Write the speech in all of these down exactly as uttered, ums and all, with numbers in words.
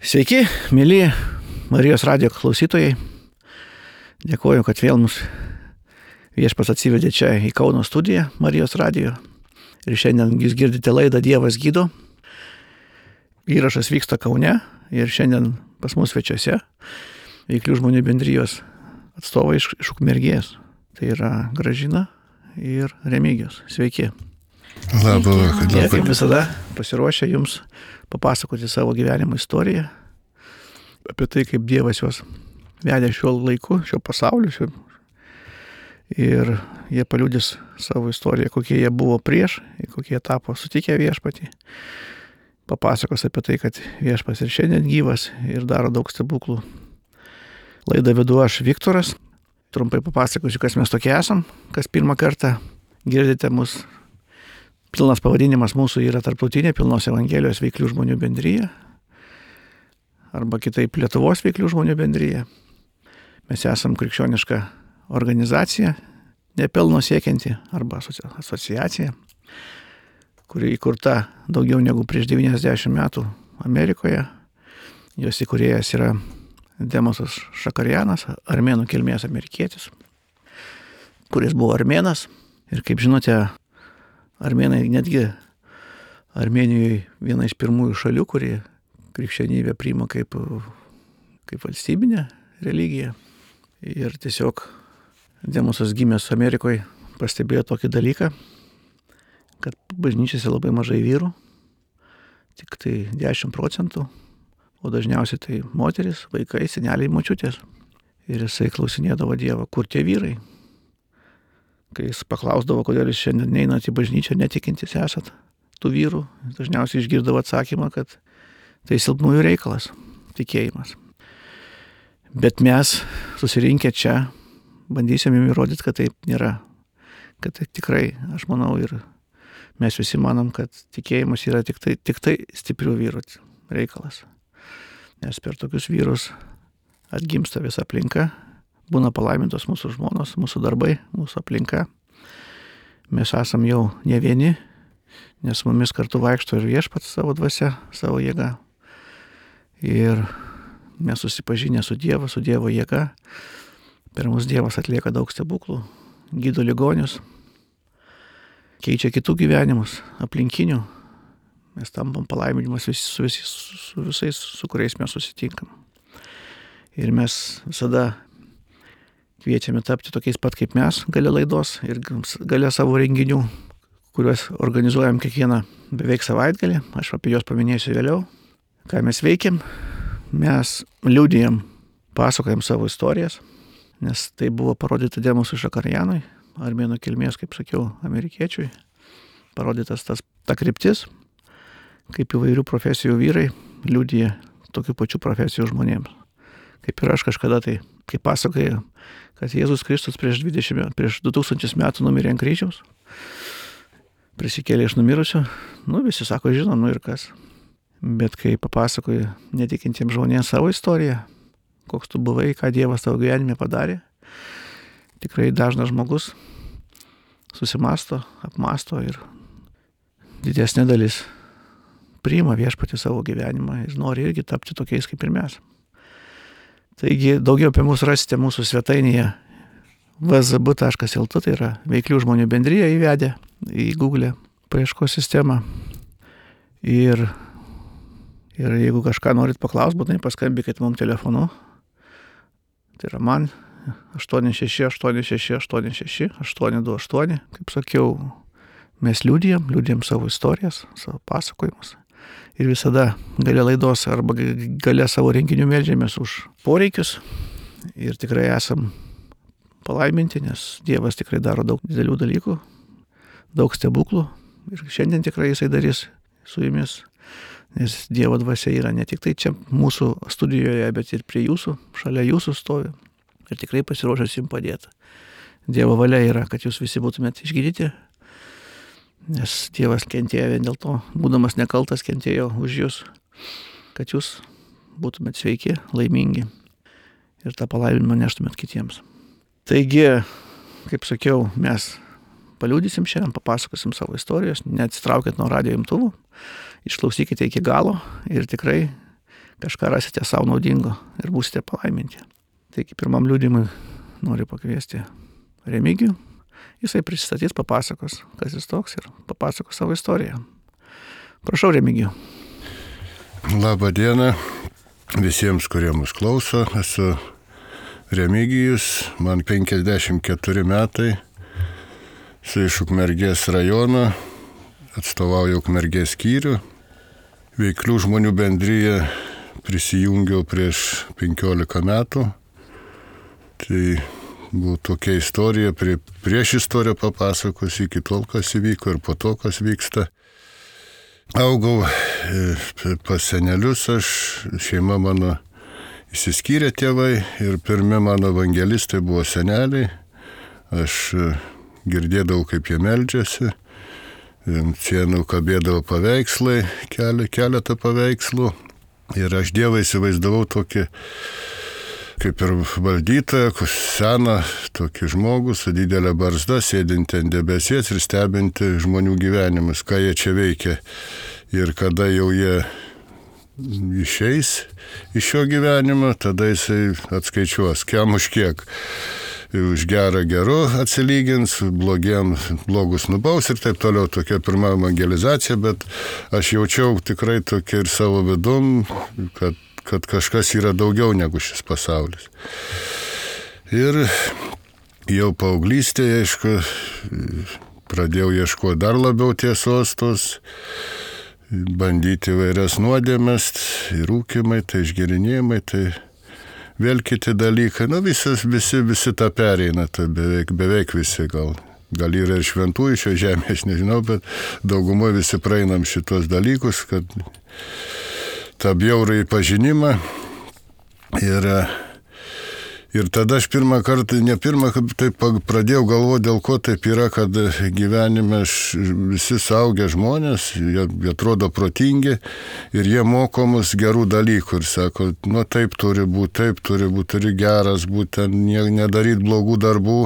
Sveiki, mėly Marijos radijo klausytojai. Dėkuoju, kad vėl mus viešpats atsivedė čia į Kauno studiją Marijos radijo. Ir šiandien jūs girdite laidą Dievas gydo. Įrašas vyksta Kaune ir šiandien pas mus svečiuose Veiklių žmonių bendrijos atstovai iš, iš Ukmergės. Tai yra Gražina ir Remigijus. Sveiki. Labą vakarą. Jie kaip visada pasiruošę jums papasakoti savo gyvenimo istoriją, apie tai, kaip Dievas juos vedė šiuo laiku, šiuo pasauliu. Šiuo... Ir jie paliudys savo istoriją, kokie jie buvo prieš, kokie jie tapo sutikę viešpatį. Papasakos apie tai, kad viešpats ir šiandien gyvas ir daro daug stebuklų. Laidą vedu aš, Viktoras. Trumpai papasakosiu, kas mes tokie esam, kas pirmą kartą girdite mus. Pilnas pavadinimas mūsų yra Tarptautinė pilnos evangelijos Veiklių žmonių bendrija arba kitaip Lietuvos Veiklių žmonių bendrija. Mes esam krikščioniška organizacija, nepelno siekianti arba asociacija, kuri įkurta daugiau negu prieš devyniasdešimt metų Amerikoje. Jos įkūrėjas yra Demosas Šakarianas, armėnų kilmės amerikietis, kuris buvo armėnas. Ir kaip žinote, armėnai netgi Armėnijoje viena iš pirmųjų šalių, kuri krikščionybę priima kaip, kaip valstybinę religiją. Ir tiesiog Demosas gimęs Amerikoje pastebėjo tokį dalyką, kad bažnyčiose labai mažai vyrų, tik tai dešimt procentų, o dažniausiai tai moteris, vaikai, seneliai, močiutės. Ir jisai klausinėdavo Dievą, kur tie vyrai. Kai jis paklausdavo, kodėl jūs šiandien neinat į bažnyčią, netikintis esat tų vyrų, dažniausiai išgirdavo atsakymą, kad tai silpnųjų reikalas, tikėjimas. Bet mes susirinkę čia bandysim jums įrodyti, kad taip nėra. Kad tai tikrai, aš manau, ir mes visi manom, kad tikėjimas yra tik tai, tik tai stiprių vyrų reikalas. Nes per tokius vyrus atgimsta visa aplinka. Būna palaimintos mūsų žmonos, mūsų darbai, mūsų aplinka. Mes esam jau ne vieni, nes mumis kartu vaikšto ir viešpats savo dvasia, savo jėga. Ir mes susipažinę su Dievu, su Dievo jėga. Per mus Dievas atlieka daug stebuklų, gydo ligonius, keičia kitų gyvenimus, aplinkinių. Mes tampam palaiminimas vis, su, vis, su visais, su kuriais mes susitinkam. Ir mes visada kviečiame tapti tokiais pat kaip mes, gale laidos ir gale savo renginių, kuriuos organizuojam kiekvieną beveik savaitgalį. Aš apie juos paminėsiu vėliau. Ką mes veikiam? Mes liudijam, pasakojam savo istorijas, nes tai buvo parodyta Demosui Šakarianui, armėnų kilmės, kaip sakiau, amerikiečiui. Parodytas tas, ta kryptis, kaip įvairių profesijų vyrai liudija tokių pačių profesijų žmonėms. Kaip ir aš kažkada tai, kaip pasakojau, kad Jėzus Kristus prieš, dvidešimt, prieš du tūkstančius metų numirė ant kryžiaus, prisikėlė iš numirusių, nu visi sako, žinom, nu ir kas. Bet kai papasakoju netikintiems žmonėms savo istoriją, koks tu buvai, ką Dievas tavo gyvenime padarė, tikrai dažnas žmogus susimasto, apmasto ir didesnė dalis priima viešpatį savo gyvenimą ir nori irgi tapti tokiais kaip ir mes. Taigi daugiau apie mus rasite mūsų svetainėje v z b taškas l t, tai yra Veiklių žmonių bendrija įvedę į Google paieškos sistemą. Ir, ir jeigu kažką norit paklausti, būtinai paskambykit mums telefonu. Tai yra man aštuoni šeši aštuoni šeši aštuoni šeši aštuoni du aštuoni. Kaip sakiau, mes liudijam, liudijam savo istorijas, savo pasakojimus. Ir visada gale laidos arba gale savo renginių meldžiamės už poreikius. Ir tikrai esam palaiminti, nes Dievas tikrai daro daug didelių dalykų, daug stebuklų. Ir šiandien tikrai jisai darys su jumis, nes Dievo dvasia yra ne tik tai čia mūsų studijoje, bet ir prie jūsų, šalia jūsų stovi. Ir tikrai pasiruošęs jums padėti. Dievo valia yra, kad jūs visi būtumėte išgydyti. Nes Dievas kentėjo vien dėl to, būdamas nekaltas, kentėjo už jūs, kad jūs būtumėt sveiki, laimingi ir tą palaiminimą neštumėt kitiems. Taigi, kaip sakiau, mes paliudysim šiandien, papasakosim savo istorijos, neatsitraukit nuo radijo imtuvų, išklausykite iki galo ir tikrai, kažką rasite savo naudingo ir būsite palaiminti. Taigi pirmam liudijimui noriu pakviesti Remigijų. Jisai prisistatys, papasakos, kas jis toks ir papasakos savo istoriją. Prašau, Remigijų. Labą dieną visiems, kurie mus klauso. Esu Remigijus, man penkiasdešimt keturi metai, esu iš Ukmergės rajono, atstovauju Ukmergės skyrių. Veiklių žmonių bendriją prisijungiau prieš penkiolika metų. Tai buvo tokia istorija, prie, prieš istoriją papasakos, iki tol, kas įvyko ir po to, kas vyksta. Augau pas senelius, aš, šeima mano išsiskyrė tėvai ir pirmi mano evangelistai buvo seneliai. Aš girdėdavau, kaip jie meldžiasi, sienų kabėdavo paveikslai, keletą paveikslų ir aš Dievą įsivaizdavau tokį, kaip ir valdytoją, seną tokį žmogų su didelė barzda, sėdinti ant debesies ir stebinti žmonių gyvenimus, ką jie čia veikia. Ir kada jau jie išeis iš šio gyvenimo, tada jisai atskaičiuos, kiam už kiek. Už gerą geru atsilygins, blogiem blogus nubaus ir taip toliau. Tokia pirma evangelizacija, bet aš jaučiau tikrai tokia ir savo vidum, kad kad kažkas yra daugiau negu šis pasaulis. Ir jau paauglystėje, aišku, pradėjau ieškoti dar labiau tiesos tos, bandyti vairias nuodėmes, ir rūkimai, tai išgerinėjimai, tai vėl kiti dalykai. Nu, visas, visi, visi tą pereina, tai beveik, beveik visi gal. Gal yra ir šventųjų šio žemė, aš nežinau, bet daugumoje visi praeinam šitos dalykus, kad tą bjaurą pažinimą ir, ir tada aš pirmą kartą, ne pirmą, taip pradėjau galvoti, dėl ko taip yra, kad gyvenime visi suaugę žmonės, jie atrodo protingi ir jie moko mus gerų dalykų ir sako, nu taip turi būti, taip turi būti, turi geras būti, nedaryti blogų darbų,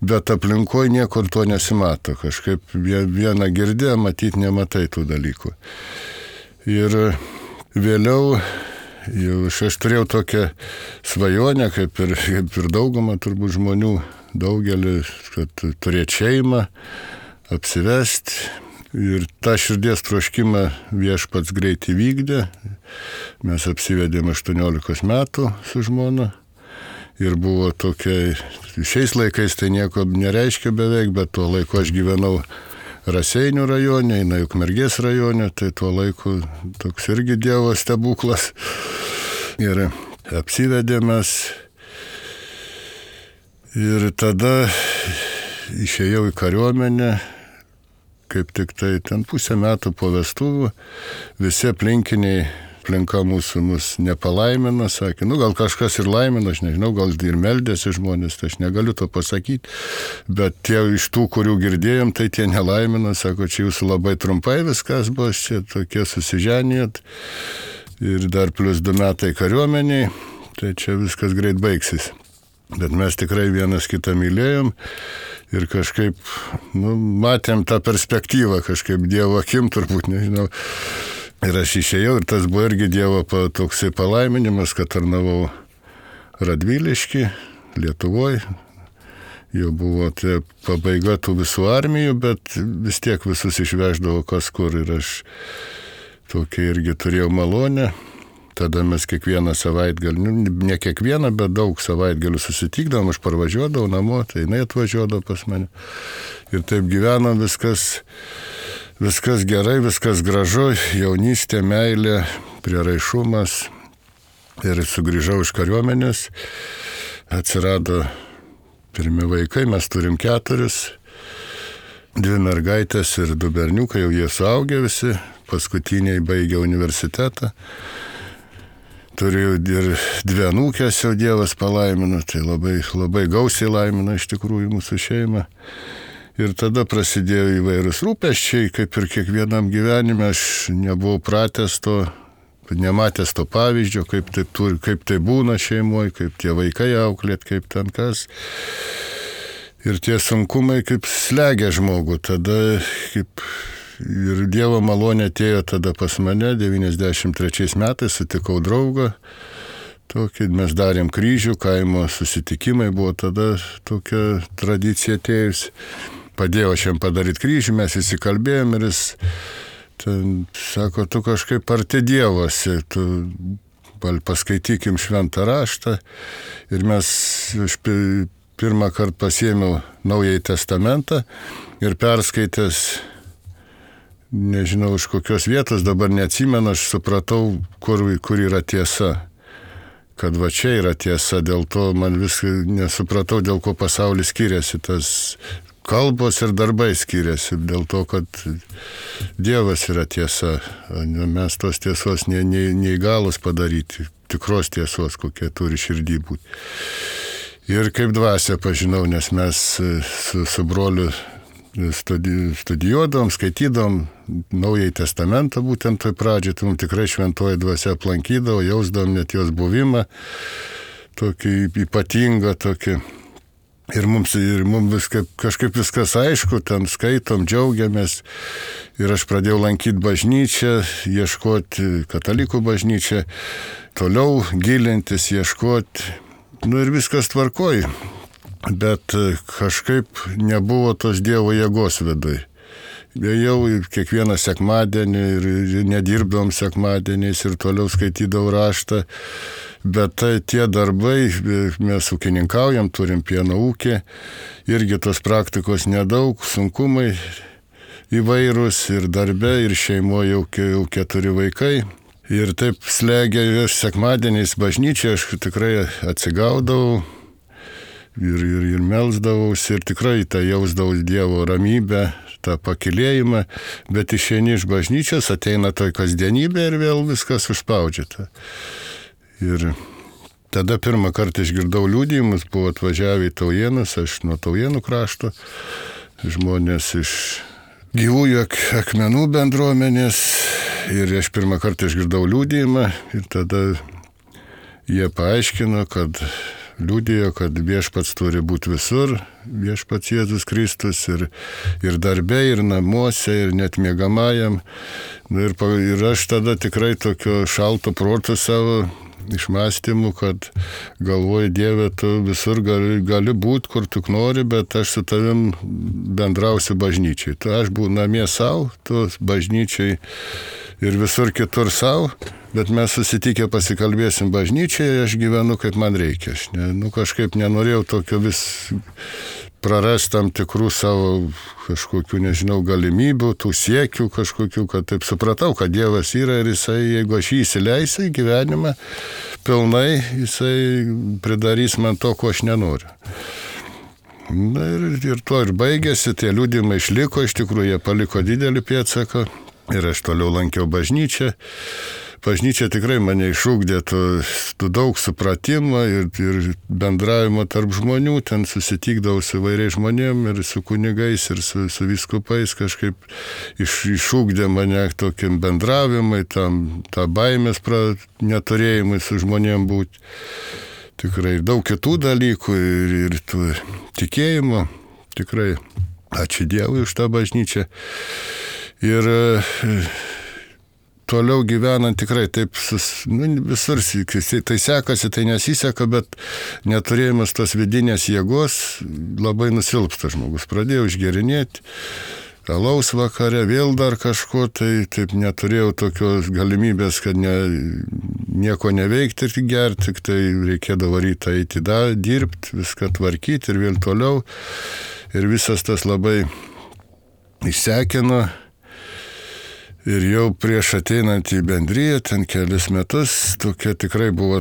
bet aplinkoje niekur to nesimato, kažkaip vieną girdė, matyti nematai tų dalykų. Ir vėliau jau aš turėjau tokią svajonę, kaip ir, kaip ir daugumą turbūt žmonių, daugelį, kad turėti šeimą, apsivesti. Ir tą širdies troškimą Viešpats greit įvykdė. Mes apsivedėm aštuoniolikos metų su žmona. Ir buvo tokia, šiais laikais tai nieko nereiškia beveik, bet tuo laiku aš gyvenau Raseinių rajone, eina Ukmergės rajone, tai tuo laiku toks irgi Dievo stebuklas. Ir apsivedėmės. Ir tada išėjau į kariuomenę, kaip tik tai ten pusę metų po vestuvių, visi aplinkiniai aplinka mūsų mus nepalaimino, sakė, nu gal kažkas ir laimino, aš nežinau, gal ir meldėsi žmonės, tai aš negaliu to pasakyti, bet tie iš tų, kurių girdėjom, tai tie nelaimino, sako, čia jūsų labai trumpai viskas buvo, čia tokie susiženijot ir dar plus du metai kariuomeniai, tai čia viskas greit baigsis. Bet mes tikrai vienas kitą mylėjom ir kažkaip, nu, matėm tą perspektyvą, kažkaip Dievo akim turbūt, nežinau. Ir aš išėjau ir tas buvo irgi Dievo toksai palaiminimas, kad tarnavau Radvilišky, Lietuvoje. Jau buvo tai pabaiga tų visų armijų, bet vis tiek visus išveždavo kas kur ir aš tokia irgi turėjau malonę. Tada mes kiekvieną savaitgalį, nu, ne kiekvieną, bet daug savaitgalių susitikdavom, aš parvažiuodavau namo, tai jinai atvažiuodavo pas mane. Ir taip gyvenom viskas. Viskas gerai, viskas gražu, jaunystė, meilė, prieraišumas. Ir sugrįžau iš kariuomenės, atsirado pirmi vaikai, mes turim keturis, dvi mergaitės ir du berniukai, jau jie suaugę visi, paskutiniai baigė universitetą. Turiu ir dvi anūkės, jau Dievas palaimino, tai labai, labai gausiai laimino iš tikrųjų mūsų šeimą. Ir tada prasidėjo įvairūs rūpesčiai, kaip ir kiekvienam gyvenime, aš nebuvau pratęs to, nematęs to pavyzdžio, kaip tai, turi, kaip tai būna šeimoje, kaip tie vaikai auklėt, kaip ten kas. Ir tie sunkumai kaip slegia žmogų, tada kaip ir Dievo malonė atėjo tada pas mane, devyniasdešimt trečiais metais sutikau draugą. Tokį, mes darėm kryžių, kaimo susitikimai, buvo tada tokia tradicija atėjus. Padėjau aš jam padaryti kryžių, mes įsikalbėjom ir jis ten sako, tu kažkaip arti Dievosi, tu paskaitykim šventą raštą. Ir mes, aš pirmą kartą pasiėmiau Naująjį testamentą ir perskaitęs, nežinau iš kokios vietos, dabar neatsimenu, aš supratau, kur, kur yra tiesa. Kad va čia yra tiesa, dėl to man viską nesupratau, dėl ko pasaulis skiriasi, tas kalbos ir darbai skiriasi, dėl to, kad Dievas yra tiesa, mes tos tiesos ne, ne, neįgalus padaryti, tikros tiesos, kokie turi širdį būti. Ir kaip dvasia pažinau, nes mes su, su broliu studi, studijuodom, skaitydom Naująjį testamentą, būtent toj pradžioj, tai mums tikrai šventoji dvasia aplankydavo, jausdom net jos buvimą, tokį ypatingą, tokį. Ir mums, ir mums viską, kažkaip viskas aišku, ten skaitom, džiaugiamės. Ir aš pradėjau lankyti bažnyčią, ieškoti katalikų bažnyčią, toliau gilintis, ieškoti. Nu ir viskas tvarkoj. Bet kažkaip nebuvo tos Dievo jėgos viduj. Jau kiekvieną sekmadienį ir nedirbdavom sekmadieniais ir toliau skaitydavau raštą. Bet tai, tie darbai, mes ūkininkaujam, turim pieno ūkį, irgi tos praktikos nedaug, sunkumai įvairūs ir darbe, ir šeimoje jau, jau keturi vaikai. Ir taip slegia, aš sekmadieniais bažnyčiai, aš tikrai atsigaudavau ir, ir, ir melsdavausi ir tikrai tą jausdavau Dievo ramybę, tą pakilėjimą, bet išeini iš bažnyčios, ateina toj kasdienybė ir vėl viskas užspaudžiata. Ir tada pirmą kartą išgirdau liudijimus, buvo atvažiavę į Taujėnus, aš nuo Taujėnų krašto, žmonės iš gyvųjų ak- akmenų bendruomenės ir aš pirmą kartą išgirdau liudijimą ir tada jie paaiškino, kad liudijo, kad viešpats turi būti visur, viešpats Jėzus Kristus ir, ir darbe, ir namuose, ir net miegamajam. Ir, ir aš tada tikrai tokio šalto proto savo išmąstymų, kad galvoju, Dieve, tu visur gali, gali būti, kur tu nori, bet aš su tavim bendrausiu bažnyčiai. Tu aš būnu namie savo, tu bažnyčiai ir visur kitur savo, bet mes susitikę pasikalbėsim bažnyčiai, aš gyvenu kaip man reikia. Aš ne, nu, kažkaip nenorėjau tokio vis prarast tam tikrų savo kažkokių, nežinau, galimybių, tų siekių kažkokių, kad taip supratau, kad Dievas yra ir jisai, jeigu aš jį įsileisiu į gyvenimą pilnai, jisai pridarys man to, ko aš nenoriu. Na ir, ir to ir baigėsi, tie liudijimai išliko, iš tikrųjų jie paliko didelį pėdsaką ir aš toliau lankiau bažnyčią. Bažnyčia tikrai mane išugdė tų, tų daug supratimo ir, ir bendravimo tarp žmonių, ten susitikdavau su įvairiais žmonėm ir su kunigais ir su, su vyskupais, kažkaip iš, išugdė mane tokiam bendravimui, tam, tą baimės pra, neturėjimui su žmonėm būti. Tikrai daug kitų dalykų ir, ir tų tikėjimo, tikrai ačiū Dievui už tą bažnyčią. Ir toliau gyvenant tikrai taip, sus, nu, visur tai sekasi, tai nesiseka, bet neturėjimas tos vidinės jėgos labai nusilpsta žmogus. Pradėjau išgerinėti, alaus vakare, vėl dar kažko, tai taip neturėjau tokios galimybės, kad ne, nieko neveikti ir gerti, tik tai reikėdavo rytą eiti da, dirbti, viską tvarkyti ir vėl toliau. Ir visas tas labai išsekino. Ir jau prieš ateinant į bendriją, ten kelis metus, tokia tikrai buvo,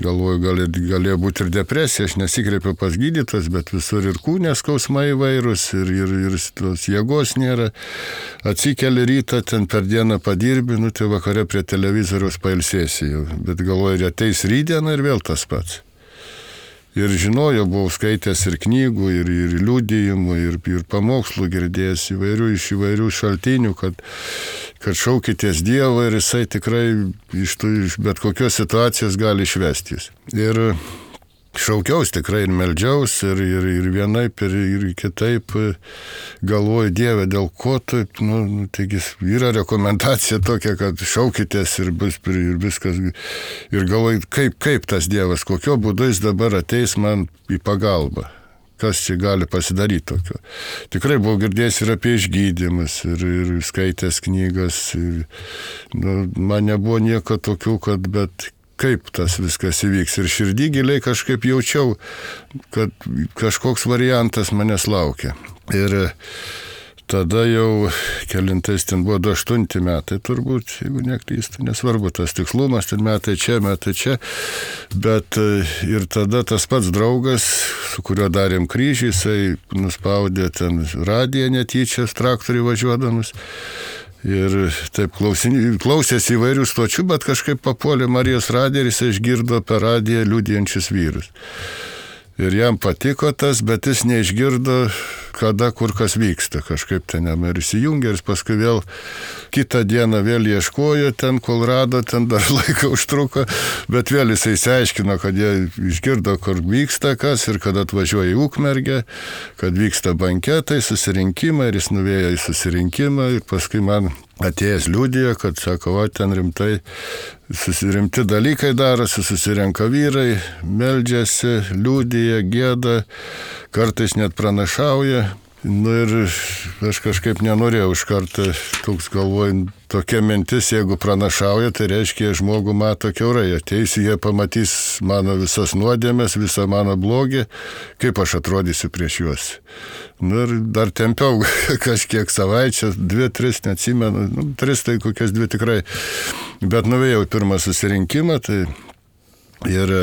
galvoju, gali, galėjo būti ir depresija, aš nesikreipiau pas gydytojus, bet visur ir kūnės skausmai įvairūs, ir, ir, ir tos jėgos nėra. Atsikeli rytą, ten per dieną padirbi, nu tai vakare prie televizoriaus pailsėsi jau, bet galvoju, ir ateis rytdiena ir vėl tas pats. Ir žinojau, buvau skaitęs ir knygų, ir, ir liudijimų, ir, ir pamokslų girdėjęs įvairių, iš įvairių šaltinių, kad, kad šaukitės Dievo ir jisai tikrai iš, tų, iš bet kokios situacijos gali išvesti jūs. Ir šaukiaus tikrai ir meldžiaus, ir, ir, ir vienaip, ir, ir kitaip galvoju, Dieve, dėl ko taip, nu, nu taigi yra rekomendacija tokia, kad šaukitės ir bus ir viskas, ir galvoju, kaip, kaip tas Dievas, kokio būdu jis dabar ateis man į pagalbą. Kas čia gali pasidaryti tokio. Tikrai buvau girdėjęs ir apie išgydymus, ir, ir skaitęs knygas, ir, nu, man nebuvo nieko tokių, kad, bet kaip tas viskas įvyks. Ir širdį giliai kažkaip jaučiau, kad kažkoks variantas manęs laukia. Ir tada jau kelintais ten buvo du aštunti metai turbūt, jeigu neklystu, nesvarbu tas tikslumas, ten metai čia, metai čia. Bet ir tada tas pats draugas, su kuriuo darėm kryžį, jisai nuspaudė ten radiją netyčia, traktorių važiuodamas. Ir taip klausėsi įvairių stočių, bet kažkaip papuolė Marijos radiją ir jis išgirdo per radiją liudijančius vyrus. Ir jam patiko tas, bet jis neišgirdo, kada, kur kas vyksta. Kažkaip ten jam ir įsijungė, ir paskui vėl kitą dieną vėl ieškojo ten, kol rado, ten dar laiką užtruko, bet vėl jisai išsiaiškino, kad jie išgirdo, kur vyksta kas, ir kad atvažiuoja į Ukmergę, kad vyksta banketai, susirinkimai, ir jis nuvėjo į susirinkimą, ir paskui man atėjęs liudijo, kad sako, o ten rimtai, susirimti dalykai darosi, susirenka vyrai, meldžiasi, liudija, gėda, kartais net pranašauja. Nu ir aš kažkaip nenorėjau iš karto, toks galvoju, tokia mintis, jeigu pranašauja, tai reiškia, žmogų mato kiaurai, ateis, jie pamatys mano visas nuodėmes, visą mano blogį, kaip aš atrodysiu prieš juos. Nu ir dar tempiau kažkiek savaičių, dvi, tris, neatsimenu, nu, tris tai kokias dvi tikrai, bet nuvėjau pirmą susirinkimą, tai ir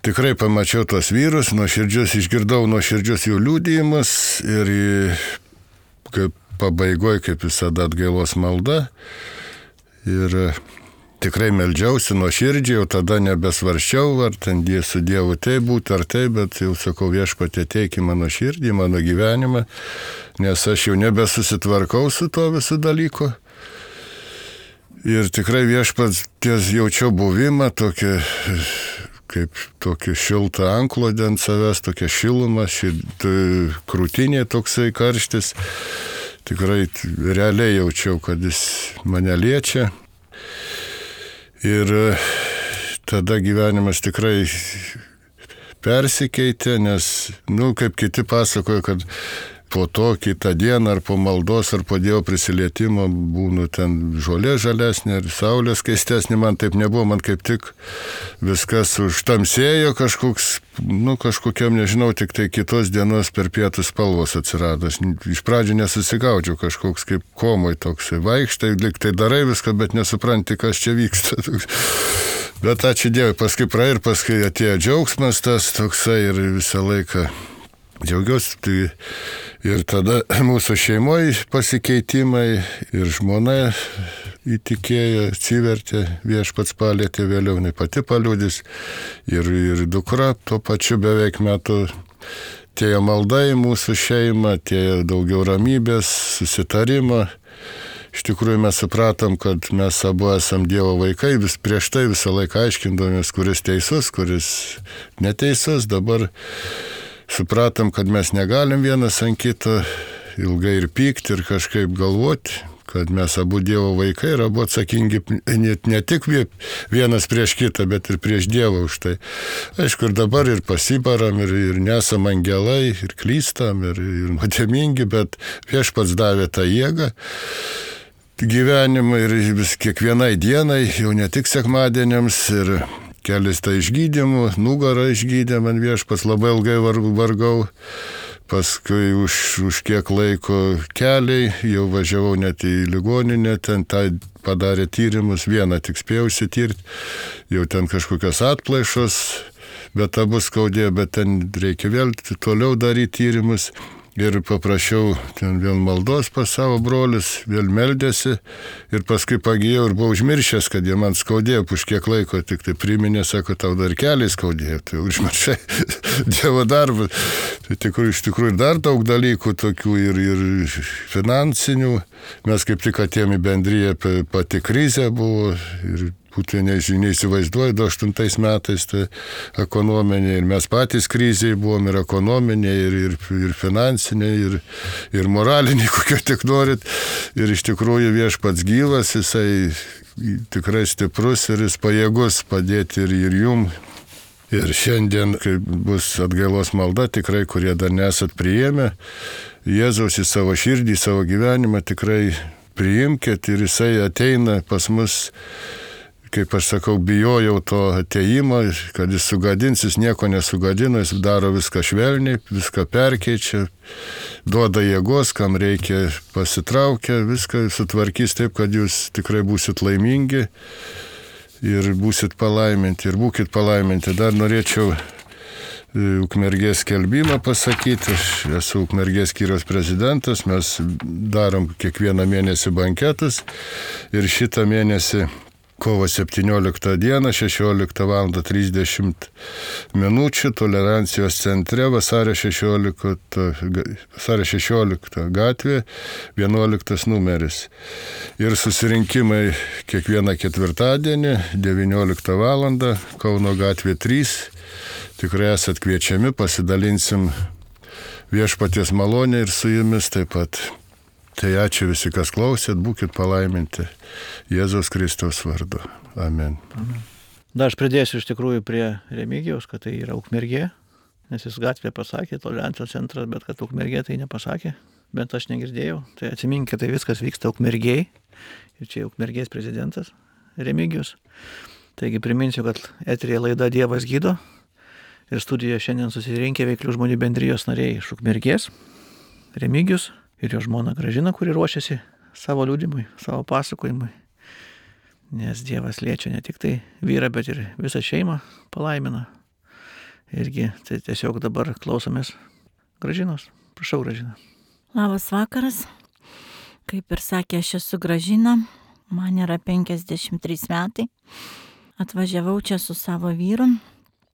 tikrai pamačiau tos vyrus, nuoširdžius, išgirdau nuoširdžius jų liudijimus ir kaip pabaigoje, kaip visada, atgailos malda. Ir tikrai meldžiausi nuoširdžiai, jau tada nebesvarščiau, ar ten su Dievu tai būtų ar tai, bet jau sakau, Viešpatie, ateik į mano širdį, mano gyvenimą, nes aš jau nebesusitvarkau su to visų dalyku. Ir tikrai Viešpats ties jaučiau buvimą, tokį kaip tokį šiltą antklodę ant savęs, tokia šiluma, šit, krūtinė toksai karštis. Tikrai realiai jaučiau, kad jis mane liečia. Ir tada gyvenimas tikrai persikeitė, nes, nu, kaip kiti pasakojo, kad po to kitą dieną ar po maldos ar po Dievo prisilietimo būnu ten žolė žalesnė ir saulė skaistesnė, man taip nebuvo, man kaip tik viskas užtamsėjo kažkoks, nu kažkokiam, nežinau, tik tai kitos dienos per pietus spalvos atsirado. Iš pradžių nesusigaudžiau, kažkoks kaip komoj toksai, vaikštai, lyg tai darai viską, bet nesupranti, kas čia vyksta. Bet ačiū Dievui, paskui praėjo ir paskui atėjo džiaugsmas tas toksai ir visą laiką džiaugiausi. Tai ir tada mūsų šeimoje pasikeitimai ir žmona įtikėjo, atsivertė, Viešpats palietė, vėliau jinai pati paliudys ir, ir dukra tuo pačiu beveik metu. Atėjo malda į mūsų šeimą, atėjo daugiau ramybės, susitarimo. Iš tikrųjų mes supratom, kad mes abu esam Dievo vaikai, vis prieš tai visą laiką aiškindomės, kuris teisus, kuris neteisus. Dabar supratom, kad mes negalim vienas ant kito ilgai ir pykti ir kažkaip galvoti, kad mes abu Dievo vaikai ir abu atsakingi ne, ne tik vienas prieš kitą, bet ir prieš Dievą už tai. Aišku, ir dabar ir pasibaram, ir, ir nesam angelai, ir klystam, ir, ir nuodėmingi, bet Viešpats davė tą jėgą gyvenimą ir vis kiekvienai dienai, jau ne tik sekmadieniams, ir kelis tai išgydymų, nugarą išgydė man Viešpats, labai ilgai vargau, paskui už, už kiek laiko keliai, jau važiavau net į ligoninę, ten tai padarė tyrimus, vieną tik spėjau įsitirti, jau ten kažkokios atplaišos, bet abu skaudėjo, bet ten reikia vėl toliau daryti tyrimus. Ir paprašiau ten vėl maldos pas savo brolius, vėl meldėsi ir paskui pagijau ir buvau užmiršęs, kad jie man skaudėjo už kiek laiko, tik tai priminė, sako, tau dar keliai skaudėjo, tai užmiršai Dievo darbą. Tai tikrųjų, iš tikrųjų dar daug dalykų tokių ir, ir finansinių. Mes kaip tik atėjom į bendriją, pati krizė buvo ir būtų neįsivaizduoju, du aštuntais metais tai ekonominė ir mes patys krizėje buvom ir ekonominė, ir, ir, ir finansinė, ir, ir moralinė, kokio tik norit. Ir iš tikrųjų viešpats gyvas, jisai tikrai stiprus ir jis pajėgus padėti ir, ir jum. Ir šiandien, kai bus atgailos malda, tikrai, kurie dar nesat priėmę Jėzaus į savo širdį, į savo gyvenimą, tikrai priimkit ir jisai ateina pas mus, kaip aš sakau, bijojau to ateimo, kad jis sugadins, jis nieko nesugadina, jis daro viską švelniai, viską perkeičia, duoda jėgos, kam reikia pasitraukia, viską sutvarkys taip, kad jūs tikrai būsit laimingi ir būsit palaiminti ir būkit palaiminti. Dar norėčiau Ukmergės skelbimą pasakyti. Aš esu Ukmergės skyriaus prezidentas, mes darom kiekvieną mėnesį banketus ir šitą mėnesį kovo septynioliktą dieną, šešioliktą valandą trisdešimt minučių, tolerancijos centre, vasario šešioliktą gatvė, vienuoliktas numeris. Ir susirinkimai kiekvieną ketvirtadienį, devynioliktą valandą, Kauno gatvė trys. Tikrai esat kviečiami, pasidalinsim viešpaties malonę ir su jumis taip pat. Tai ačiū visi, kas klausėt, būkit palaiminti Jėzaus Kristaus vardu. Amen. Amen. Dar aš pridėsiu iš tikrųjų prie Remigijaus, kad tai yra Ukmergė, nes jis gatvė pasakė, tolerancijos centras, bet kad Ukmergė tai nepasakė, bent aš negirdėjau. Tai atsiminkite, tai viskas vyksta Ukmergėj ir čia Ukmergės prezidentas Remigijus. Taigi priminsiu, kad eterėje laida Dievas gydo. Ir studijoje šiandien susirinkę veiklių žmonių bendrijos nariai iš Ukmergės, Remigijus ir jo žmona Gražina, kuri ruošiasi savo liudymui, savo pasakojimui. Nes Dievas liečia ne tik tai vyrą, bet ir visą šeimą palaimina. Irgi tai tiesiog dabar klausomės Gražinos. Prašau, Gražina. Labas vakaras. Kaip ir sakė, aš esu Gražina. Man yra penkiasdešimt trys metai. Atvažiavau čia su savo vyru.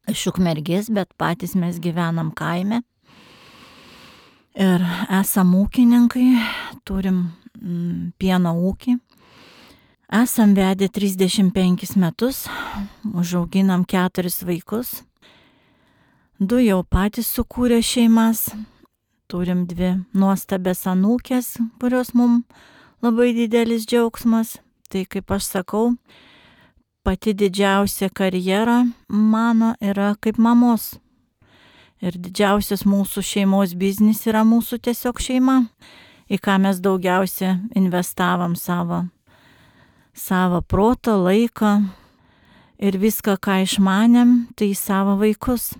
Iš Ukmergės, bet patys mes gyvenam kaime. Ir esam ūkininkai, turim mm, pieno ūkį. Esam vedę trisdešimt penkis metus, užauginam keturis vaikus. Du jau patys sukūrė šeimas. Turim dvi nuostabės anūkės, kurios mums labai didelis džiaugsmas. Tai kaip aš sakau, pati didžiausia karjera mano yra kaip mamos. Ir didžiausias mūsų šeimos biznis yra mūsų tiesiog šeima, į ką mes daugiausia investavom savo, savo protą, laiką ir viską, ką išmanėm, tai į savo vaikus.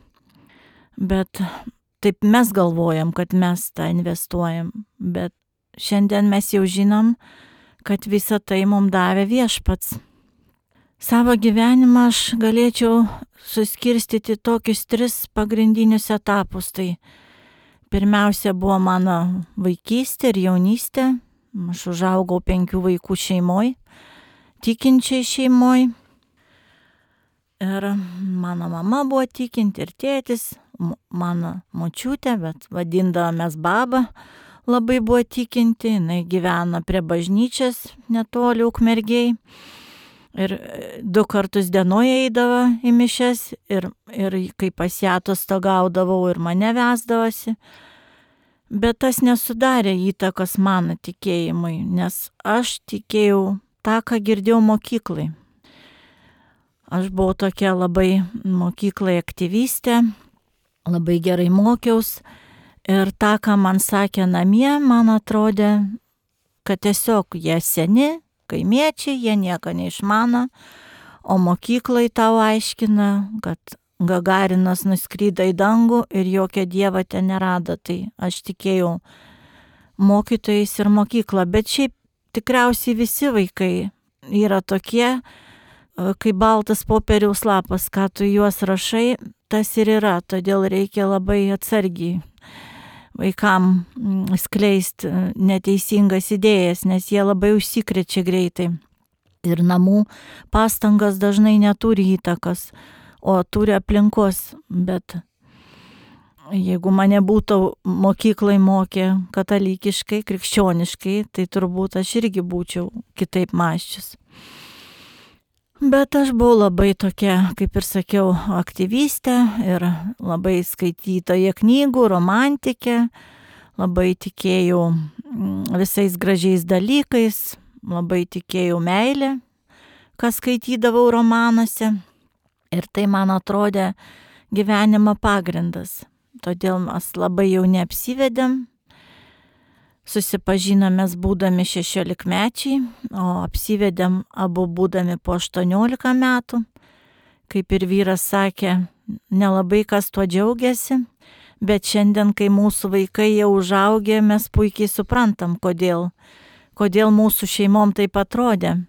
Bet taip mes galvojam, kad mes tą investuojam, bet šiandien mes jau žinom, kad visą tai mums davė viešpats. Savo gyvenimą aš galėčiau suskirstyti tokius tris pagrindinius etapus. Tai pirmiausia buvo mano vaikystė ir jaunystė. Aš užaugau penkių vaikų šeimoj, tikinčiai šeimoj. Ir mano mama buvo tikinti ir tėtis, mano močiutė, bet vadindavomės baba, labai buvo tikinti. Jinai gyvena prie bažnyčios netoli Ukmergėj. Ir du kartus dienoje eidavo į mišias ir, ir kai pas ją atostogaudavau ir mane vesdavosi. Bet tas nesudarė įtakos mano tikėjimui, nes aš tikėjau tą, ką girdėjau mokyklai. Aš buvau tokia labai mokyklai aktyvistė, labai gerai mokiaus ir tą, ką man sakė namie, man atrodė, kad tiesiog jie seni, kaimiečiai, jie nieko neišmano, o mokyklai tau aiškina, kad Gagarinas nuskrydo į dangų ir jokio dievo ten nerado. Tai aš tikėjau mokytojais ir mokyklą, bet šiaip tikriausiai visi vaikai yra tokie, kaip baltas popieriaus lapas, ką tu juos rašai, tas ir yra, todėl reikia labai atsargiai vaikam skleisti neteisingas idėjas, nes jie labai užsikrečia greitai. Ir namų pastangas dažnai neturi įtakos, o turi aplinkos. Bet jeigu mane būtų mokyklai mokė katalikiškai, krikščioniškai, tai turbūt aš irgi būčiau kitaip mąsčius. Bet aš buvau labai tokia, kaip ir sakiau, aktyvistė ir labai skaitytoja knygų, romantikė, labai tikėjau visais gražiais dalykais, labai tikėjau meilę, ką skaitydavau romanuose. Ir tai man atrodė gyvenimo pagrindas. Todėl mes labai jau neapsivedėm. Susipažinomės būdami šešiolikmečiai, o apsivedėm abu būdami po aštuoniolika metų. Kaip ir vyras sakė, nelabai kas tuo džiaugiasi, bet šiandien, kai mūsų vaikai jau užaugę, mes puikiai suprantam, kodėl, kodėl mūsų šeimom taip atrodė.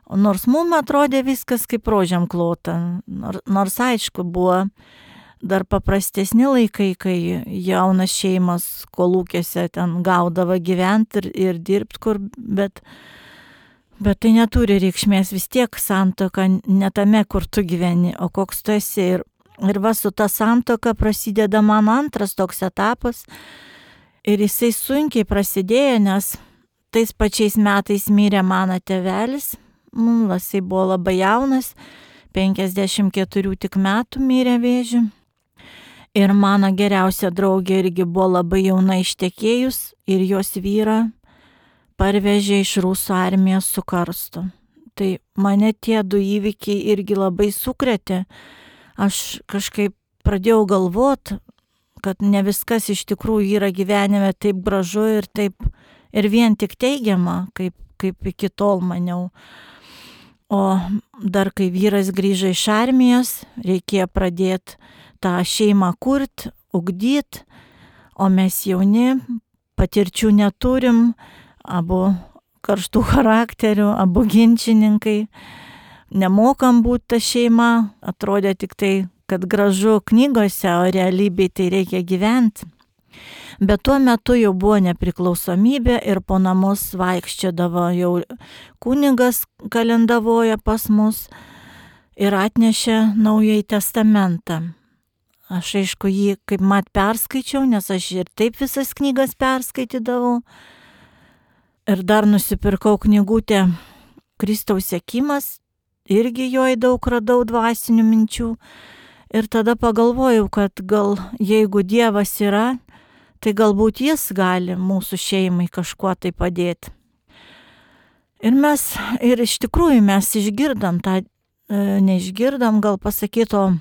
Nors mums atrodė viskas kaip rožėm klota, nors aišku buvo dar paprastesni laikai, kai jaunas šeimas kolūkiuose ten gaudavo gyventi ir, ir dirbti kur, bet, bet tai neturi reikšmės, vis tiek santuoka ne tame, kur tu gyveni, o koks tu esi. Ir, ir va su ta santuoka prasideda man antras toks etapas ir jisai sunkiai prasidėjo, nes tais pačiais metais mirė mano tėvelis, jisai buvo labai jaunas, penkiasdešimt keturių tik metų mirė vėžiu. Ir mano geriausia draugė irgi buvo labai jauna ištekėjus ir jos vyrą parvežė iš rusų armijos su karstu. Tai mane tie du įvykiai irgi labai sukrėtė. Aš kažkaip pradėjau galvoti, kad ne viskas iš tikrųjų yra gyvenime taip gražu ir taip ir vien tik teigiama, kaip, kaip iki tol maniau. O dar kai vyras grįžo iš armijos, reikėjo pradėti tą šeimą kurt, ugdyt, o mes jauni, patirčių neturim, abu karštų charakterių, abu ginčininkai, nemokam būti ta šeima, atrodė tik tai, kad gražu knygose, o realybėj tai reikia gyventi. Bet tuo metu jau buvo nepriklausomybė ir po namus vaikščiodavo jau kunigas kalendavoja pas mus ir atnešė Naująjį testamentą. Aš aišku jį kaip mat perskaičiau, nes aš ir taip visas knygas perskaitydavau. Ir dar nusipirkau knygutę Kristaus sekimas, irgi joj daug radau dvasinių minčių. Ir tada pagalvojau, kad gal jeigu Dievas yra, tai galbūt jis gali mūsų šeimai kažkuo tai padėti. Ir mes, ir iš tikrųjų mes išgirdom tą, neišgirdom, gal pasakyto,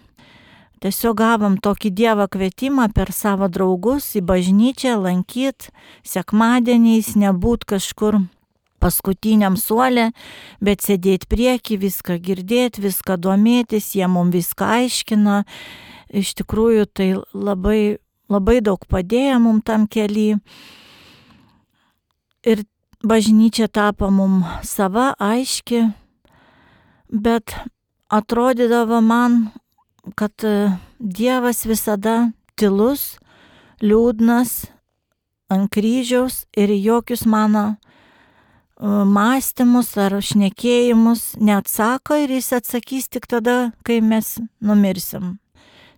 tiesiog gavom tokį Dievo kvietimą per savo draugus į bažnyčią lankyt, sekmadieniais nebūt kažkur paskutiniam suole, bet sėdėti prieki, viską girdėti, viską domėtis, jie mums viską aiškina. Iš tikrųjų tai labai, labai daug padėjo mums tam kely. Ir bažnyčia tapo mums sava, aiški, bet atrodydavo man, kad Dievas visada tylus, liūdnas, ant kryžiaus ir jokius mano mąstymus ar šnekėjimus neatsako ir jis atsakys tik tada, kai mes numirsim.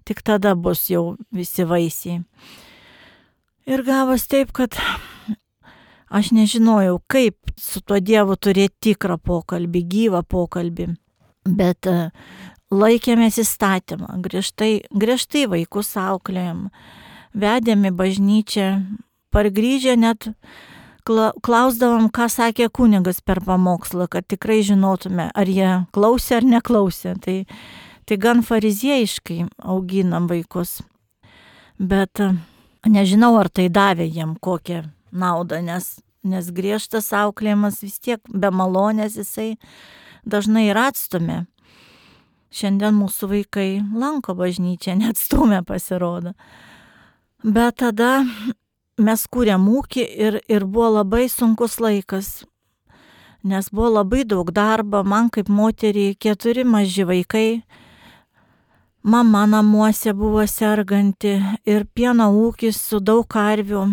Tik tada bus jau visi vaisiai. Ir gavos taip, kad aš nežinojau, kaip su tuo Dievu turėti tikrą pokalbį, gyvą pokalbį, bet laikėmės įstatymą, griežtai, griežtai vaikus auklėjom, vedėm į bažnyčią, pargrįžę net klausdavom, ką sakė kunigas per pamokslą, kad tikrai žinotume, ar jie klausė ar neklausė. Tai, tai gan fariziejiškai auginam vaikus. Bet nežinau, ar tai davė jiem kokią naudą, nes, nes griežtas auklėjimas vis tiek be malonės jisai dažnai ir atstumė. Šiandien mūsų vaikai lanko bažnyčią, net stumė pasirodo. Bet tada mes kūrėm ūkį ir, ir buvo labai sunkus laikas, nes buvo labai daug darbo, man kaip moteriai keturi maži vaikai, mama namuose buvo serganti ir pieno ūkis su daug karvių,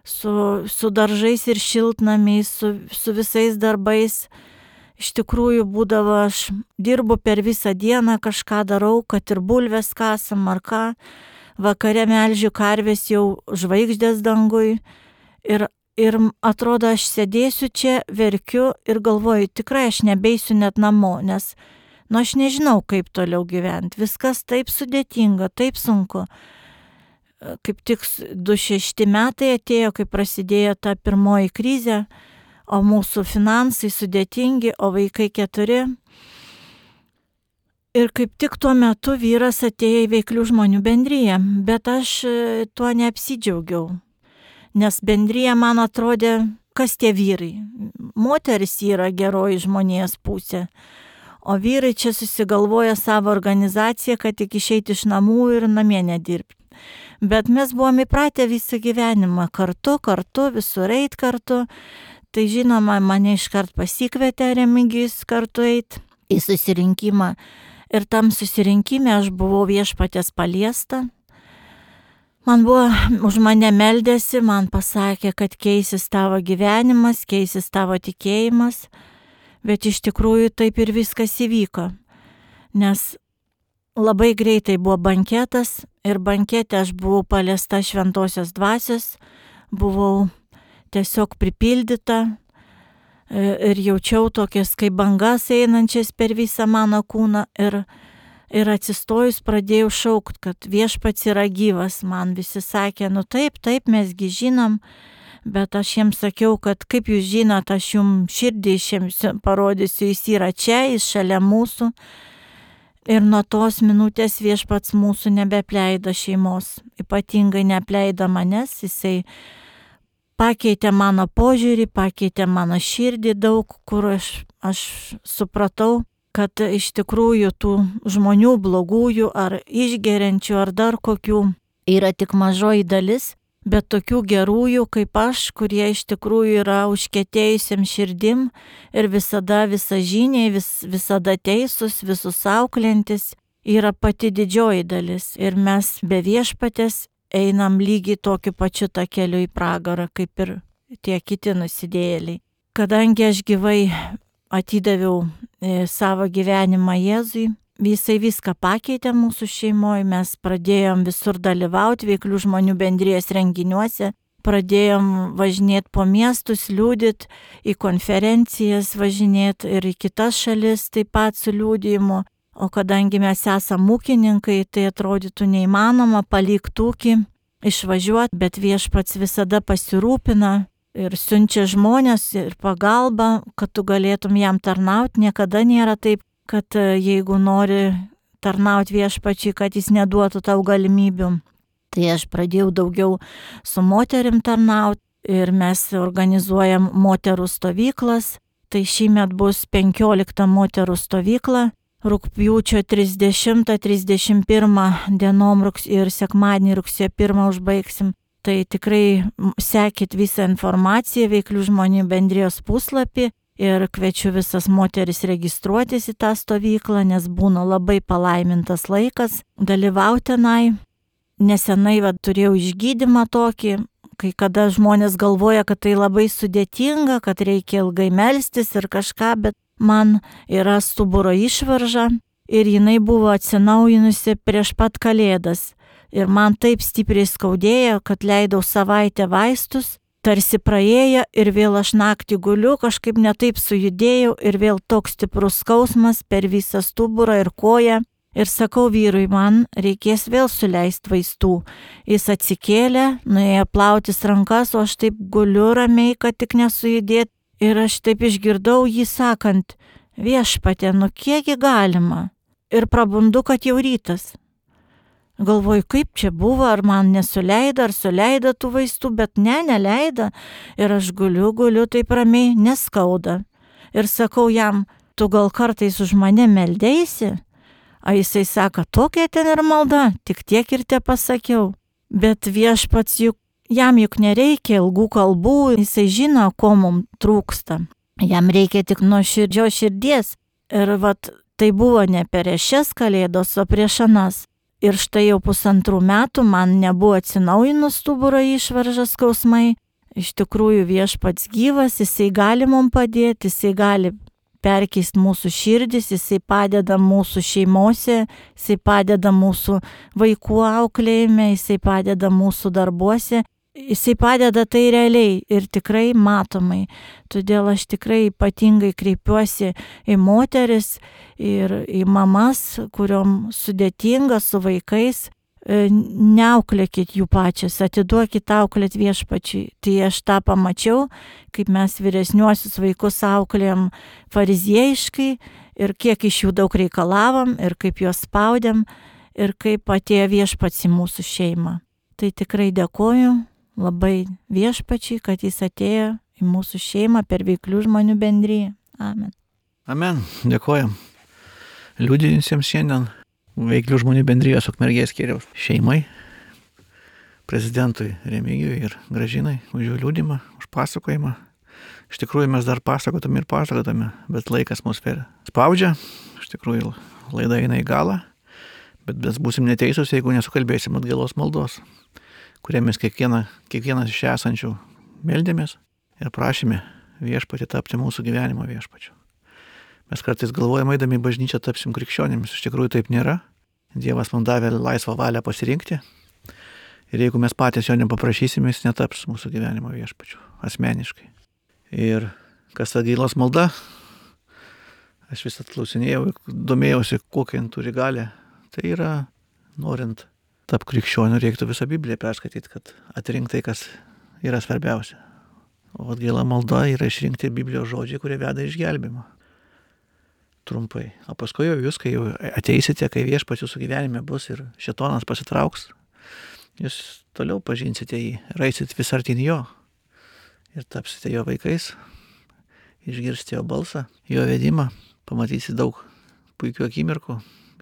su, su daržais ir šiltnamiais, su, su visais darbais. Iš tikrųjų būdavo, aš dirbu per visą dieną, kažką darau, kad ir bulves kasam ar ką. Vakare melžiu karvės jau žvaigždės dangui ir, ir atrodo, aš sėdėsiu čia, verkiu ir galvoju, tikrai aš nebeisiu net namo, nes Nu, aš nežinau, kaip toliau gyventi. Viskas taip sudėtinga, taip sunku. Kaip tik du šešti metai atėjo, kai prasidėjo ta pirmoji krizė, o mūsų finansai sudėtingi, o vaikai keturi. Ir kaip tik tuo metu vyras atėjo į veiklių žmonių bendriją, bet aš tuo neapsidžiaugiau, nes bendrija man atrodė, kas tie vyrai. Moteris yra geroji žmonijos pusė, o vyrai čia susigalvoja savo organizaciją, kad tik išeiti iš namų ir namie nedirbti. Bet mes buvom įpratę visą gyvenimą kartu, kartu, visur eit kartu. Tai žinoma, mane iškart pasikvietė Remigijus kartu eit į susirinkimą. Ir tam susirinkime aš buvau Viešpaties paliesta. Man buvo, už mane meldėsi, man pasakė, kad keisis tavo gyvenimas, keisis tavo tikėjimas. Bet iš tikrųjų taip ir viskas įvyko. Nes labai greitai buvo banketas ir bankete aš buvau paliesta šventosios dvasios, buvau tiesiog pripildyta ir jaučiau tokias kaip bangas einančias per visą mano kūną ir, ir atsistojus pradėjau šaukt, kad Viešpats yra gyvas. Man visi sakė, nu taip, taip, mesgi žinom, bet aš jiems sakiau, kad kaip jūs žinot, aš jums širdį jiems parodysiu, jis yra čia, jis šalia mūsų. Ir nuo tos minutės Viešpats mūsų nebeapleido šeimos, ypatingai neapleido manęs, jisai pakeitė mano požiūrį, pakeitė mano širdį daug, kur aš, aš supratau, kad iš tikrųjų tų žmonių blogųjų ar išgeriančių ar dar kokių yra tik mažoji dalis, bet tokių gerųjų kaip aš, kurie iš tikrųjų yra užkietėjusiam širdim ir visada visažiniai, vis, visada teisūs, visus auklėjantis, yra pati didžioji dalis. Ir mes be Viešpatės einam lygiai tokiu pačiu takeliu į pragarą, kaip ir tie kiti nusidėjėliai. Kadangi aš gyvai atidaviau e, savo gyvenimą Jėzui, Visai viską pakeitė mūsų šeimoje, mes pradėjom visur dalyvauti veiklių žmonių bendrijos renginiuose, pradėjom važinėti po miestus, liūdit, į konferencijas važinėti ir į kitas šalis taip pat su liūdėjimu, o kadangi mes esame ūkininkai, tai atrodytų neįmanoma palikti ūkį, išvažiuoti, bet Viešpats visada pasirūpina ir siunčia žmonės ir pagalbą, kad tu galėtum jam tarnauti, niekada nėra taip, kad jeigu nori tarnauti Viešpačiui, kad jis neduotų tau galimybių. Tai aš pradėjau daugiau su moterim tarnauti ir mes organizuojam moterų stovyklas. Tai šįmet bus penkiolikta moterų stovykla. Rugpjūčio trisdešimtą trisdešimt pirmą dienom ir sekmadienį rugsėjo pirmą užbaigsim. Tai tikrai sekit visą informaciją veiklių žmonių bendrijos puslapį. Ir kviečiu visas moteris registruotis į tą stovyklą, nes būna labai palaimintas laikas dalyvauti tenai. Nesenai va, turėjau išgydymą tokį, kai kada žmonės galvoja, kad tai labai sudėtinga, kad reikia ilgai melstis ir kažką, bet man yra stuburo išvarža ir jinai buvo atsinaujinusi prieš pat Kalėdas. Ir man taip stipriai skaudėjo, kad leidau savaitę vaistus. Tarsi praėjo ir vėl aš naktį guliu, kažkaip netaip sujudėjau ir vėl toks stiprus skausmas per visą stuburą ir koją. Ir sakau vyrui, man reikės vėl suleisti vaistų. Jis atsikėlė, nuėjo plautis rankas, o aš taip guliu ramiai, kad tik nesujudėt. Ir aš taip išgirdau jį sakant, Viešpatie, nu kiekgi galima. Ir prabundu, kad jau rytas. Galvoju, kaip čia buvo, ar man nesuleido, ar suleido tų vaistų, bet ne, neleido. Ir aš guliu, guliu taip ramiai, neskauda. Ir sakau jam, tu gal kartais už mane meldėsi? O jisai sako, tokia ten ir malda, tik tiek ir te pasakiau. Bet Viešpats juk, jam juk nereikia ilgų kalbų, jisai žino, ko mums trūksta. Jam reikia tik nuo širdžio širdies. Ir vat, tai buvo ne prieš šias Kalėdos, o prieš anas. Ir štai jau pusantrų metų man nebuvo atsinaujinus stuburo išvaržas skausmai. Iš tikrųjų Viešpats gyvas, jisai gali mums padėti, jisai gali perkeisti mūsų širdis, jisai padeda mūsų šeimose, jisai padeda mūsų vaikų auklėjime, jisai padeda mūsų darbuose. jisai padeda tai realiai ir tikrai matomai. Todėl aš tikrai ypatingai kreipiuosi į moteris ir į mamas, kuriom sudėtinga su vaikais. Neauklėkit jų pačias, atiduokit auklėt Viešpačiui. Tai aš tą pamačiau, kaip mes vyresniuosius vaikus auklėjom fariziejiškai ir kiek iš jų daug reikalavom ir kaip juos spaudėm ir kaip atėjo Viešpats į mūsų šeimą. Tai tikrai dėkoju labai Viešpačiui, kad jis atėjo į mūsų šeimą per veiklių žmonių bendriją. Amen. Amen. Dėkojam liudijusiems šiandien veiklių žmonių bendrijos Ukmergės skyriaus šeimai, prezidentui Remigijui ir Gražinai už jų liudymą, už pasakojimą. Iš tikrųjų mes dar pasakotume ir pasakotume, bet laikas mus per spaudžia. Iš tikrųjų laida eina į galą, bet mes būsim neteisūs, jeigu nesukalbėsim atgailos maldos, kurie mes kiekvieną, kiekvienas iš esančių meldėmės ir prašėme Viešpatį tapti mūsų gyvenimo viešpačiu. Mes kartais galvojame, eidami į bažnyčią tapsim krikščionimis. Iš tikrųjų taip nėra. Dievas mums davė laisvą valią pasirinkti. Ir jeigu mes patys jo nepaprašysime, jis netaps mūsų gyvenimo viešpačiu. Asmeniškai. Ir kas atgailos malda, aš vis atklausinėjau ir domėjausi, kokią jin turi galę. Tai yra, norint tapti krikščioniu, reiktų visą Bibliją perskaityti, kad atrinkti tai, kas yra svarbiausia. O atgaila malda yra išrinkti Biblijos žodžiai, kurie veda išgelbėjimą. Trumpai. O paskui jau jūs, kai jau ateisite, kai Viešpats jūsų gyvenime bus ir šėtonas pasitrauks, jūs toliau pažinsite jį, raisit vis artin jo ir tapsite jo vaikais, išgirsite jo balsą, jo vedimą, pamatysite daug puikių akimirkų,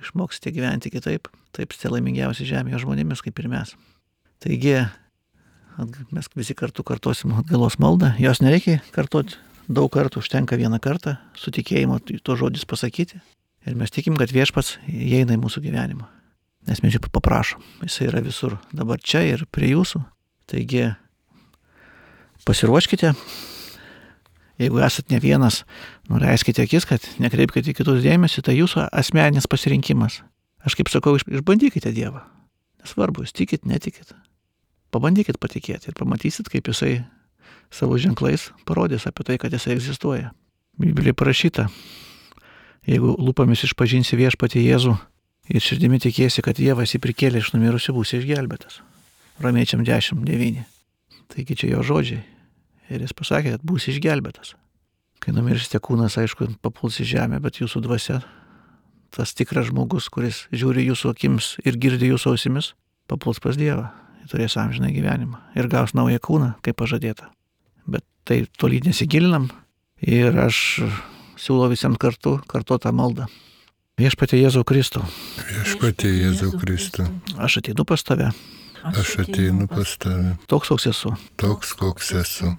išmoksite gyventi kitaip, taipsite laimingiausi žemėje žmonėmis, kaip ir mes. Taigi, mes visi kartu kartosim atgailos maldą, jos nereikia kartoti daug kartų, užtenka vieną kartą su tikėjimu to žodžius pasakyti ir mes tikim, kad Viešpats įeina į mūsų gyvenimą, nes mes jį paprašom, jisai yra visur, dabar čia ir prie jūsų. Taigi pasiruoškite, jeigu esat ne vienas, nuleiskite akis, kad nekreipkite kitus dėmesį, tai jūsų asmeninis pasirinkimas. Aš kaip sakau, išbandykite Dievą, nesvarbu, jūs tikit, netikit, pabandykit patikėti ir pamatysit, kaip jisai savo ženklais parodys apie tai, kad jisai egzistuoja. Biblijoje parašyta, jeigu lūpomis išpažinsi Viešpatį Jėzų ir širdimi tikėsi, kad Dievas jį prikėlė iš numirusių, būsi išgelbėtas. Romiečiam dešimt devyni. Taigi čia jo žodžiai. Ir jis pasakė, kad būsi išgelbėtas. Kai numirsite, kūnas, aišku, papuls į žemę, bet jūsų dvasia, tas tikras žmogus, kuris žiūri jūsų akims ir girdi jūsų ausimis, papuls pas Dievą. Turės amžiną gyvenimą ir gaus naują kūną, kaip pažadėta. Bet tai toli nesigilinam ir aš siūlau visiems kartu kartuotą maldą. Viešpatie Jėzau Kristau. Viešpatie Jėzau Kristau. Aš ateinu pas tave. Aš ateinu pas tave. Toks, koks esu. Toks, koks esu.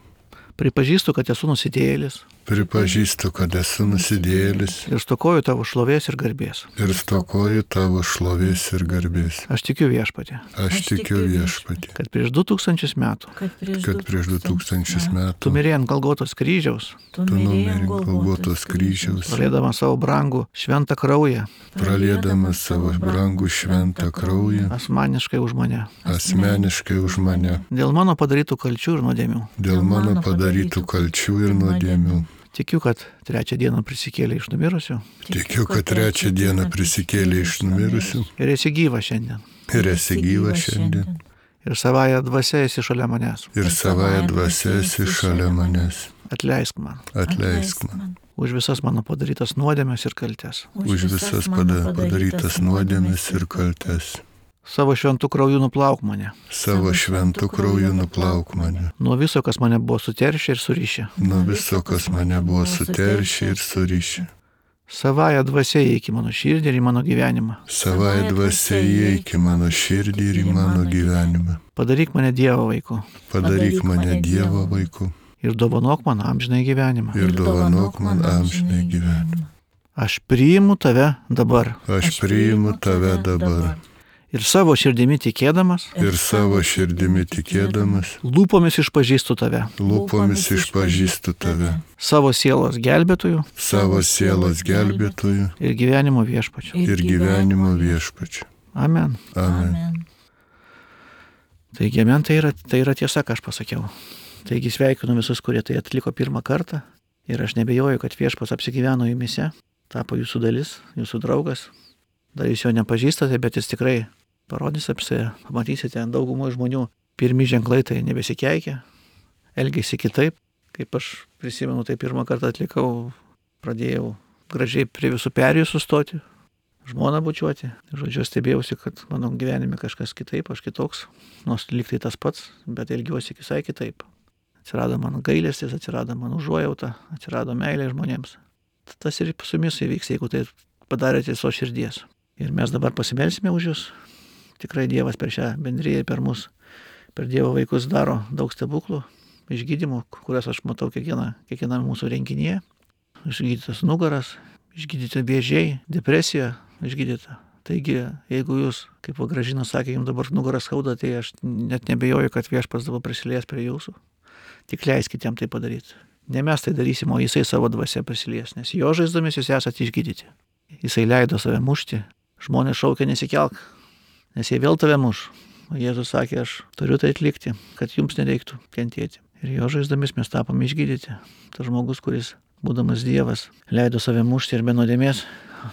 Pripažįstu, kad esu nusidėjėlis. Pripažįstu, kad esu nusidėjėlis. Ir stokoju tavo šlovės ir garbės. Ir stokoju tavo šlovės ir garbės. Aš tikiu Viešpatie. Aš tikiu Viešpatie. Kad prieš du tūkstančius metų. Kad prieš du tūkstančius metų. Tu mirėjai ant Golgotos kryžiaus. Tu numirėjai ant Golgotos kryžiaus. Praliedamas savo brangų šventą kraują. Praliedamas savo brangų šventą kraują. Asmeniškai už mane. Asmeniškai už mane. Dėl mano padarytų kalčių ir nuodėmių. Dėl mano padarytų kalčių ir nuodėmių. Tikiu, kad trečią dieną prisikėlė iš numirusių. Tikiu, kad trečią dieną prisikėlė iš numirusių. Ir esi gyva šiandien. Ir esi gyva šiandien. Ir savąją dvasią esi šalia manęs. Ir savąją dvasią esi šalia manęs. Atleisk man. Atleisk man. Už visas mano padarytas nuodėmes ir kaltes. Už visas padarytas nuodėmes ir kaltes. Savo šventų krauju nuplauk mane. Savo šventų krauju nuplauk mane. Nuo viso, kas mane buvo suteršę ir surišę. Nuo viso, kas mane buvo suteršę ir surišę. Savąją dvasią įeik į mano širdį ir į mano gyvenimą. Savąją dvasią įeik į mano širdį ir į mano gyvenimą. Padaryk mane Dievo vaiku. Padaryk mane Dievo vaiku. Ir dovanok man amžinąjį gyvenimą. Ir dovanok man amžinąjį gyvenimą. Aš priimu tave dabar. Aš priimu tave dabar. Ir savo širdimi tikėdamas. Ir savo širdimi tikėdamas. Lūpomis išpažįstu tave. Lūpomis išpažįstu tave. Savo sielos gelbėtojų. Savo sielos gelbėtojų. Ir gyvenimo viešpačiu. Ir gyvenimo viešpačiu. Amen. Amen. Taigi, amen, tai yra, tai yra tiesa, ką aš pasakiau. Taigi sveikinu visus, kurie tai atliko pirmą kartą ir aš nebejoju, kad Viešpats apsigyveno jumise, tapo jūsų dalis, jūsų draugas. Dar jūs jo nepažįstate, bet jis tikrai parodys apsėję. Pamatysite, daugumą žmonių pirmi ženklai tai nebesikeikia, elgėsi kitaip. Kaip aš prisimenu, tai pirmą kartą atlikau, pradėjau gražiai prie visų perėjų sustoti, žmoną bučiuoti. Žodžiu, stebėjausi, kad mano gyvenime kažkas kitaip, aš kitoks, nors lyg tai tas pats, bet elgiuosi visai kitaip. Atsirado mano gailestis, atsirado mano užuojauta, atsirado meilė žmonėms. Tas ir su jumis įvyks, jeigu tai padarėte iš savo širdies. Ir mes dabar pasimelsime už jūs. Tikrai Dievas per šią bendriją, per mus, per Dievo vaikus daro daug stebuklų, išgydymų, kurias aš matau kiekvieną, kiekvieną mūsų renginyje. Išgydytas nugaras, išgydyti vėžiai, depresija išgydyta. Taigi, jeigu jūs, kaip Gražina sakė, jums dabar nugaras skauda, tai aš net nebejoju, kad Viešpats dabar prisilies prie jūsų. Tik leiskite jam tai padaryti. Ne mes tai darysim, o jisai savo dvasia prisilies, nes jo žaizdomis jūs esate išgydyti. Jisai leido save mušti, žmonės šaukia nesikelk, nes jie vėl tave muš. O Jėzus sakė, aš turiu tai atlikti, kad jums nereiktų kentėti. Ir jo žaizdomis mes tapome išgydyti. Tas žmogus, kuris, būdamas Dievas, leido save mušti ir be nuodėmės,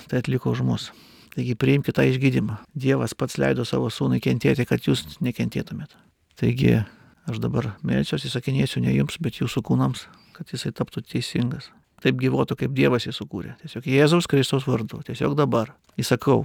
tai atliko už mus. Taigi priimkite tą išgydymą. Dievas pats leido savo sūnui kentėti, kad jūs nekentėtumėte. Taigi aš dabar melsiuosi, įsakinėsiu ne jums, bet jūsų kūnams, kad jisai taptų teisingas. Taip gyvuotų, kaip Dievas jį sukūrė. Tiesiog Jėzaus Kristaus vardu. Tiesiog dabar. Įsakau,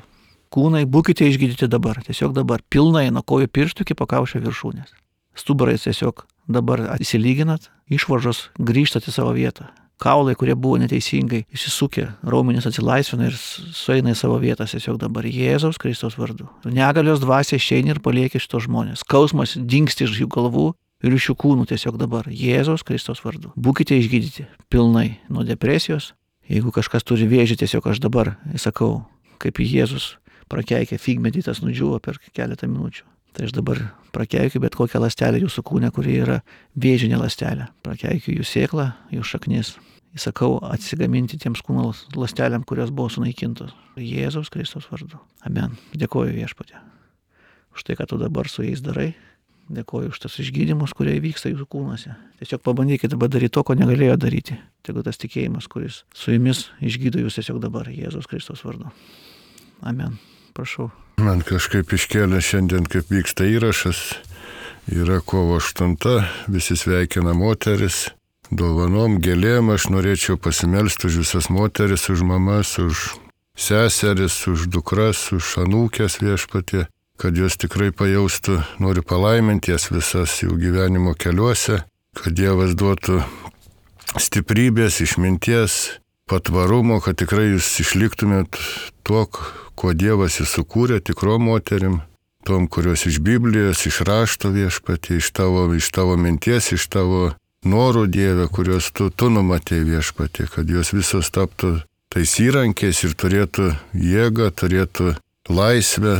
kūnai, būkite išgydyti dabar. Tiesiog dabar. Pilnai nuo kojų pirštų iki pakaušio viršūnės. Stuburais tiesiog dabar įsilyginat, išvaržos grįžtat į savo vietą. Kaulai, kurie buvo neteisingai įsisukę, raumenys atsilaisvina ir sueina į savo vietas tiesiog dabar Jėzaus Kristaus vardu. Negalios dvasia išeina ir palieka šitos žmonės. Skausmas dingsti iš jų galvų ir iš jų kūnų tiesiog dabar Jėzaus Kristaus vardu. Būkite išgydyti pilnai nuo depresijos. Jeigu kažkas turi vėžį, tiesiog aš dabar įsakau, kaip Jėzus prakeikė figmedį, tas nudžiūvo per keletą minučių. Tai aš dabar prakeikiu bet kokią ląstelę jūsų kūne, kuri yra vėžinė ląstelė. Prakeikiu jų sėklą, jų šaknis. Įsakau atsigaminti tiems kūno ląstelėm, kurios buvo sunaikintos. Jėzaus Kristaus vardu. Amen. Dėkoju Viešpatie už tai, ką tu dabar su jais darai. Dėkoju už tas išgydymus, kurie vyksta jūsų kūnuose. Tiesiog pabandykite dabar daryti to, ko negalėjo daryti. Tegu tas tikėjimas, kuris su jumis išgydo jūs tiesiog dabar Jėzaus Kristaus vardu. Amen. Prašau. Man kažkaip iškėlė šiandien, kaip vyksta įrašas, yra kovo aštunta, visi sveikina moteris, dovanom, gėlėm, aš norėčiau pasimelsti už visas moteris, už mamas, už seseris, už dukras, už anūkės Viešpatie, kad jos tikrai pajaustų, noriu palaiminti jas visas jų gyvenimo keliuose, kad Dievas duotų stiprybės, išminties, patvarumo, kad tikrai jūs išliktumėt tuo, kuo Dievas jį sukūrė, tikrom moterim, tom, kurios iš Biblijos, iš rašto Viešpatie, iš tavo, iš tavo minties, iš tavo norų Dieve, kuriuos tu, tu numatei Viešpatie, kad jos visos taptų tais įrankiais ir turėtų jėgą, turėtų laisvę,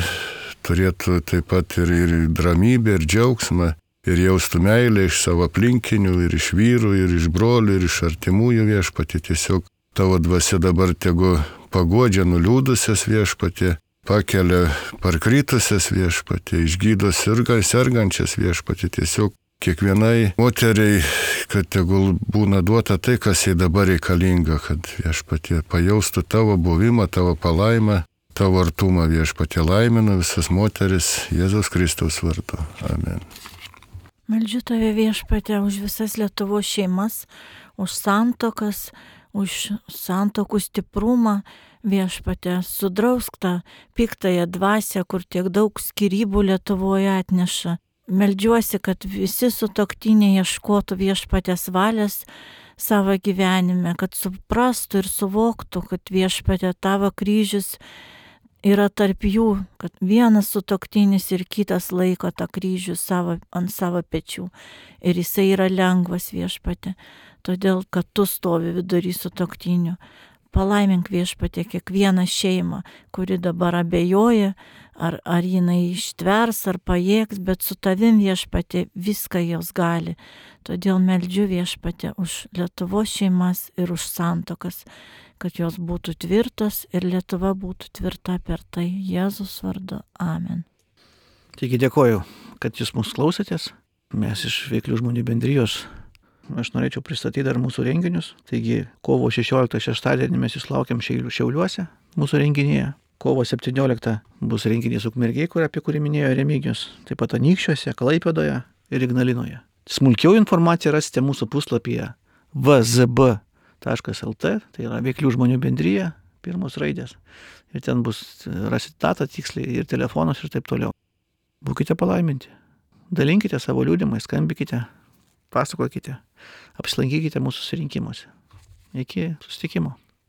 turėtų taip pat ir, ir dramybę, ir džiaugsmą, ir jaustų meilę iš savo aplinkinių, ir iš vyrų, ir iš brolių, ir iš artimųjų Viešpatie. Tiesiog tavo dvasia dabar tegu paguodžia nuliūdusias Viešpatie, pakelia parkritusias Viešpatie, išgydo sergančias Viešpatie. Tiesiog kiekvienai moteriai, kad tegul būna duota tai, kas jai dabar reikalinga, kad Viešpatie pajaustų tavo buvimą, tavo palaimą, tavo artumą Viešpatie. Laiminu visas moteris Jėzaus Kristaus vardu. Amen. Meldžiu tave Viešpatie už visas Lietuvos šeimas, už santuokas, už santokų stiprumą, Viešpatie, sudrausk tą piktąją dvasią, kur tiek daug skyrybų Lietuvoje atneša. Meldžiuosi, kad visi sutuoktiniai ieškotų Viešpatės valios savo gyvenime, kad suprastų ir suvoktų, kad Viešpatie tavo kryžius yra tarp jų, kad vienas sutuoktinis ir kitas laiko tą kryžių savo, ant savo pečių. Ir jisai yra lengvas Viešpatie, todėl, kad tu stovi vidury sutuoktinių. Palaimink Viešpatie kiekvieną šeimą, kuri dabar abejoja, ar, ar jinai ištvers, ar pajėgs, bet su tavim Viešpatie viską jos gali. Todėl meldžiu Viešpatie už Lietuvos šeimas ir už santuokas, kad jos būtų tvirtos ir Lietuva būtų tvirta per tai Jėzus vardu. Amen. Taigi dėkoju, kad jūs mūsų klausėtės. Mes iš Veiklių žmonių bendrijos. Aš norėčiau pristatyti dar mūsų renginius. Taigi kovo šešioliktą šeštadienį mes jūs laukiam Šiauliuose mūsų renginyje. Kovo septynioliktą bus renginys Ukmergėj, kur apie kurį minėjo Remigijus. Taip pat Anykščiuose, Klaipėdoje ir Ignalinoje. Smulkiau informaciją rasite mūsų puslapyje v z b taškas l t, tai yra Veiklių žmonių bendrija, pirmos raidės. Ir ten bus rasite datą tiksliai ir telefonus ir taip toliau. Būkite palaiminti. Dalinkite savo liudimais, skambikite, pasakokite, apsilankykite mūsų susirinkimuose. Iki susitikimo.